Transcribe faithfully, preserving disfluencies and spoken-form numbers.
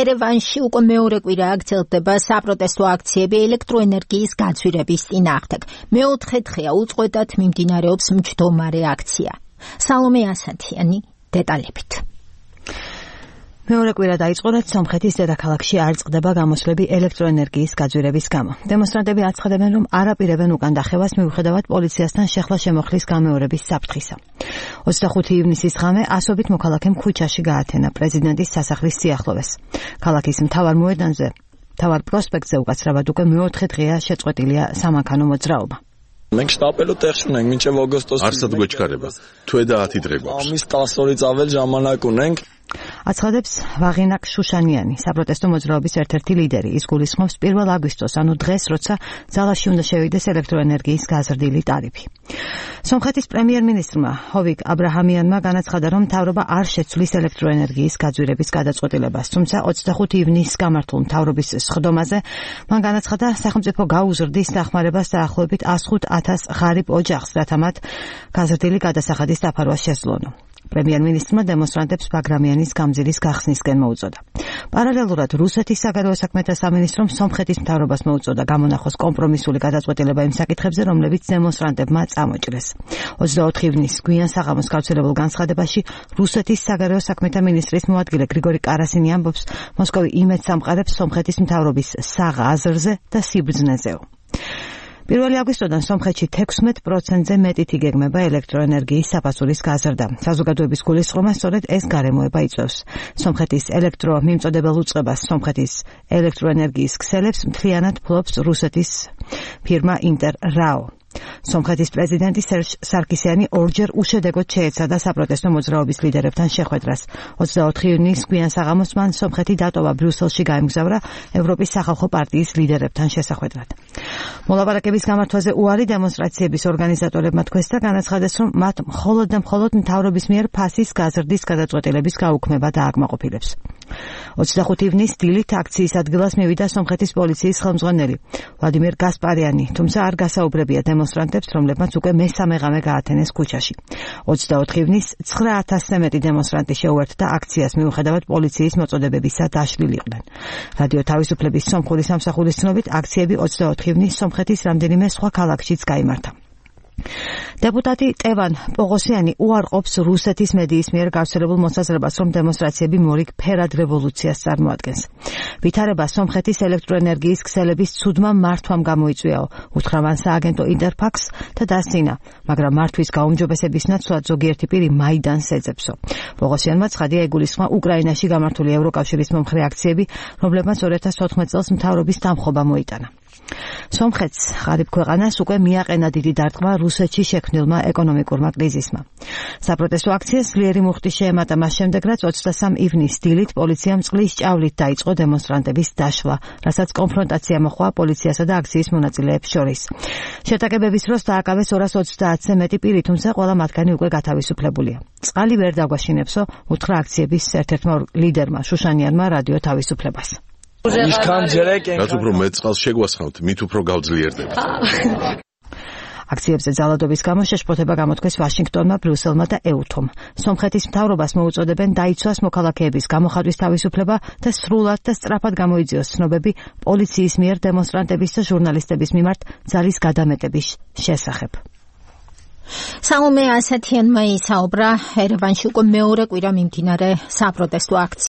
ერევანში უკვე მეორე კვირა გრძელდება საპროტესტო აქციები ელექტროენერგიის გაძვირების წინააღმდეგ. მეოთხე დღეა უწყვეტად მიმდინარეობს მჯდომარე აქცია. სალომე ასათიანი დეტალებით. მეორე კვირა დაიწყო, რაც სომხეთის დედაქალაქში არ წყდება გამოსვლები ელექტროენერგიის გაძვირების გამო. დემონსტრანტები აცხადებენ, რომ არ აპირებენ უკან დახევას მიუხედავად პოლიციასთან შეხლა-შემოხლის გამეორების საფრთხისა. ოცდახუთი ივნისის ღამე ასობით მოქალაქემ ქუჩაში გაათენა პრეზიდენტის სასახლის სიახლოვეს. ქალაქის მთავარ მოედანზე, მთავარ პროსპექტზე უკაცრავად უკვე მეოთხე დღეა შეწყვეტილია სამანქანო მოძრაობა. մենք შტაპელოთ ეხშუნենք მինჩევ აგვისტოს არსად გვეჩქარება თვე და ათი დღე გვაქვს ამის დასწორი წაվել ჟამანაკ უნենք აცხადებს ვაღინაკ შუშანიანი, საპროტესტო მოძრაობის ერთ-ერთი ლიდერი. ის გულისხმობს პირველ აგვისტოს, ანუ დღეს, როცა ძალაში უნდა შევიდეს ელექტროენერგიის გაზრდილი ტარიფი. სომხეთის პრემიერ-მინისტრმა ჰოვიკ აბრაჰამიანმა განაცხადა, რომ მთავრობა არ შეცვლის ელექტროენერგიის გაძვირების გადაწყვეტილებას, თუმცა ოცდახუთი ივნისს გამართულ მთავრობის სხდომაზე მან განაცხადა, სახელმწიფო გაუზრდის დახმარებას დაახლოებით ათს ათას ღარიბ ოჯახს, რათა მათ გაზრდილი გადასახადის დაფარვა შესძლონო. პრემიერ-მინისტრმა დემონსტრანტებს ბაგრამიანის გამზირის გახსნისკენ მოუწოდა. პარალელურად რუსეთის საგარეო საქმეთა სამინისტრომ სომხეთის მთავრობას მოუწოდა გამონახოს კომპრომისული გადაწყვეტილება იმ საკითხებზე, რომლებიც დემონსტრანტებმა წამოჭრეს. ოცდაოთხი ივნისს გვიან საღამოს გავრცელებულ განცხადებაში რუსეთის საგარეო საქმეთა მინისტრის მოადგილე გრიგორი კარასინი ამბობს, მოსკოვი იმედს ამყარებს სომხეთის მთავრობის საღ აზრზე და სიბრძნეზეო. პირველი აგვისტოდან სომხეთში თექვსმეტ პროცენტზე მეტით იგეგმება ელექტროენერგიის საფასურის გაზრდა. საზოგადოების გულისხმობა სწორედ ეს გარემოება იწვევს. სომხეთის ელექტრო მიმწოდებელ უწყებას სომხეთის ელექტროენერგიის ქსელებს მთლიანად ფლობს რუსეთის ფირმა ინტერრაო. სომხეთის პრეზიდენტი სერჟ სარკისიანი ორჯერ უშედეგოდ შეეცადა საპროტესტო მოძრაობის ლიდერებთან შეხვედრას. ოცდაოთხი ივნისს გვიან საღამოს მან სომხეთი დატოვა, ბრიუსელში გაემგზავრა ევროპის სახალხო პარტიის ლიდერებთან შესახვედრად. მოლაპარაკების გამართვაზე უარი დემონსტრაციების ორგანიზატორებმა თქვეს და განაცხადეს, რომ მათ მხოლოდ და მხოლოდ მთავრობის მიერ ფასის გაზრდის გადაწყვეტილების გაუქმება დააკმაყოფილებს. ოცდახუთი ივნისს დილით აქციის ადგილას მივიდა სომხეთის პოლიციის ხელმძღვანელი ვლადიმერ გასპარიანი, თუმცა არ გასაუბრებია დემონსტრანტებს, რომლებმაც უკვე მესამე ღამე გაათენეს ქუჩაში. ოცდაოთხი ივნისს ცხრა ათასზე მეტი დემონსტრანტი შეუერთდა აქციას, მიუხედავად პოლიციის მოწოდებებისა დაშლილიყვნენ. რადიო თავისუფლების სომხური სამსახურის ცნობით, აქციები ოცდაოთხი ივნისს სომხეთის რამდენიმე სხვა ქალაქშიც გაიმართა. დეპუტატი ტევან პოღოსიანი უარყოფს რუსეთის მედიის მიერ გავრცელებულ მოსაზრებას, რომ დემონსტრაციები მორიგ ფერად რევოლუციას წარმოადგენს. ვითარება სომხეთის ელექტროენერგიის ქსელების ცუდმა მართვამ გამოიწვიაო, უთხრა მან სააგენტო ინტერფაქს და დასცინა, მაგრამ მართვის გაუმჯობესების ნაცვლად ზოგიერთი პირი მაიდანს ეძებსო. პოღოსიანმა ცხადია იგულისხმა უკრაინაში გამართული ევროკავშირის მომხრე აქციები, რომლებმაც ორი ათას ოთხმეტ წელს მთავრობის დამხობა მოიტანა. სომხეთს ღარიბ ქვეყანას უკვე მიაყენა დიდი დარტყმა რუსეთში შექმნილმა ეკონომიკურმა კრიზისმა. საპროტესტო აქციას ძლიერი მუხტი შეემატა მას შემდეგ, რაც ოცდასამი ივნისს დილით პოლიციამ წყლის ჭავლით დაიწყო დემონსტრანტების დაშლა, რასაც კონფრონტაცია მოჰყვა პოლიციასა და აქციის მონაწილეებს შორის. შეტაკებების დროს დააკავეს ორას ოცდაათზე მეტი პირი, თუმცა ყველა მათგანი უკვე გათავისუფლებულია. წყალი ვერ დაგვაშინებსო, უთხრა აქციების ერთ-ერთმა ლიდერმა შუშანიანმა რადიო თავისუფლებას. რაც უფრო მეტ წყალს შეგვასხავთ, მით უფრო გავძლიერდებთ. აქციებზე ძალადობის გამო შეშფოთება გამოთქვეს ვაშინგტონმა, ბრიუსელმა და ეუთომ. სომხეთის მთავრობას მოუწოდებენ დაიცვას მოქალაქეების გამოხატვის თავისუფლება და სრულად და სწრაფად გამოიძიოს ცნობები პოლიციის მიერ დემონსტრანტების და ჟურნალისტების მიმართ ძალის გადამეტების შესახებ. სალომე ასათიანმა ისაუბრა ერევანში უკვე მეორე კვირა მიმდინარე საპროტესტო აქციაში.